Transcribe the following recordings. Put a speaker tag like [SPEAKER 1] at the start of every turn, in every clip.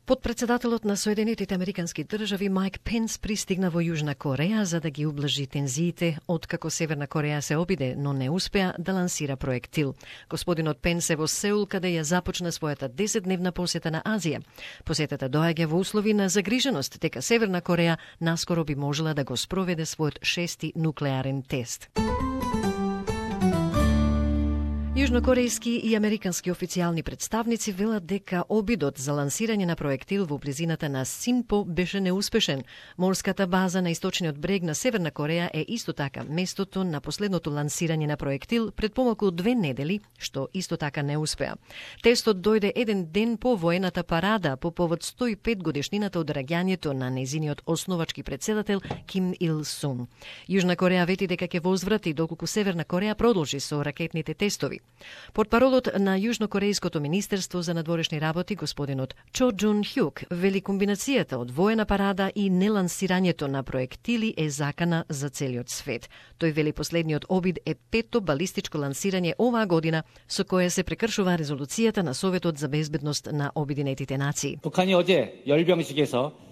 [SPEAKER 1] Подпредседателот на Соединетите Американски држави Майк Пенс пристигна во Јужна Кореја за да ги ублажи тензиите откако Северна Кореја се обиде, но не успеа да лансира проектил. Господинот Пенс е во Сеул, каде ја започна својата 10-дневна посета на Азија. Посетата доаѓа во услови на загриженост дека Северна Кореја наскоро би можела да го спроведе својот 6-ти нуклеарен тест. Јужнокорејски и американски официјални представници велат дека обидот за лансирање на проектил во близината на Синпо беше неуспешен. Морската база на источниот брег на Северна Кореја е исто така местото на последното лансирање на проектил пред помалку од 2 недели, што исто така не успеа. Тестот дојде еден ден по воената парада по повод 105 годишнината од раѓањето на нејзиниот основачки претседател Ким Ил Сун. Јужна Кореја вети дека ќе возврати доколку Северна Кореја продолжи со ракетните тестови. Портпаролот на Јужнокорејското министерство за надворешни работи, господинот Чо Джун Хјук, вели комбинацијата од воена парада и нелансирањето на проектили е закана за целиот свет. Тој вели последниот обид е 5-то балистичко лансирање оваа година, со кое се прекршува резолуцијата на Советот за безбедност на Обединетите нации.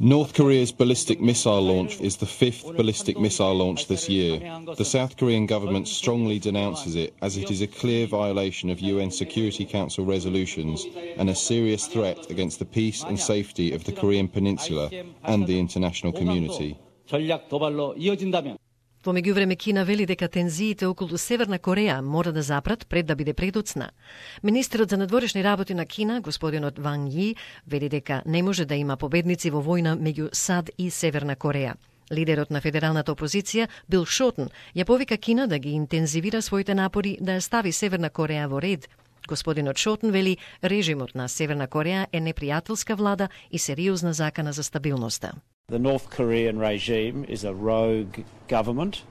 [SPEAKER 2] North Korea's ballistic missile launch is the 5th ballistic missile launch this year. The South Korean government strongly denounces it as it is a clear violation of UN Security Council resolutions and a serious threat against the peace and safety of the Korean Peninsula and the international community.
[SPEAKER 1] Во меѓувреме Кина вели дека тензиите околу Северна Кореја мора да запрат пред да биде предоцна. Министерот за надворешни работи на Кина, господинот Ван Ји, вели дека не може да има победници во војна меѓу САД и Северна Кореја. Лидерот на федералната опозиција, Бил Шотен, ја повика Кина да ги интензивира своите напори да ја стави Северна Кореја во ред. Господинот Шотен вели режимот на Северна Кореја е непријателска влада и сериозна закана за стабилноста.
[SPEAKER 3] The North Korean regime is a rogue government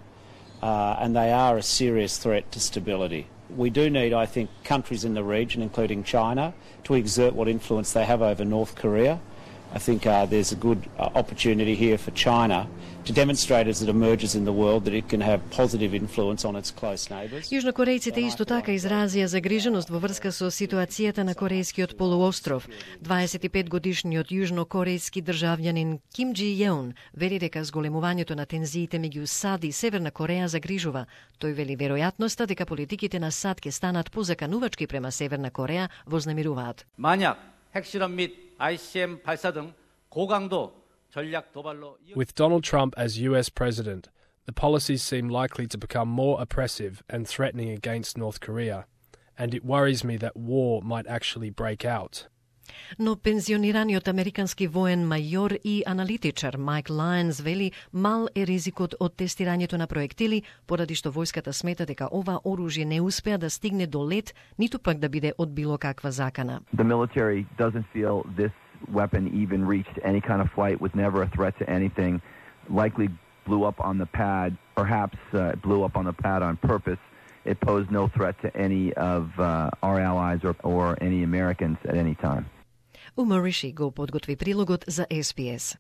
[SPEAKER 3] and they are a serious threat to stability. We do need, I think, countries in the region, including China, to exert what influence they have over North Korea. I think there's a good opportunity here for China to demonstrate as it emerges in the world that it can have positive influence on its close neighbours.
[SPEAKER 1] Јужнокорејците исто така изразија загриженост во врска со ситуацијата на Корејскиот полуостров. 25-годишниот јужнокорејски државјанин Ким Џи Јеун вели дека зголемувањето на тензиите меѓу САД и Северна Кореја загрижува. Тој вели веројатноста дека политиките на САД ќе станат позаканувачки према Северна Кореја вознемируваат.
[SPEAKER 4] 만약 핵실험 및 ICM 발사 등 고강도 전략 도발로
[SPEAKER 5] With Donald Trump as US president, the policies seem likely to become more oppressive and threatening against North Korea, and it worries me that war might actually break out.
[SPEAKER 1] Но пензионираниот американски воен мајор и аналитичар Майк Лајнс вели мал е ризикот од тестирањето на проектили, поради што војската смета дека ова оружје не успеа да стигне до лет, ниту пак да биде од било каква закана.
[SPEAKER 6] The military doesn't feel this weapon even reached any kind of flight, was never a threat to anything, likely blew up on the pad, perhaps blew up on the pad on purpose. It posed no threat to any of our allies or any Americans at any time.
[SPEAKER 1] Умар Риши го подготви прилогот за SBS.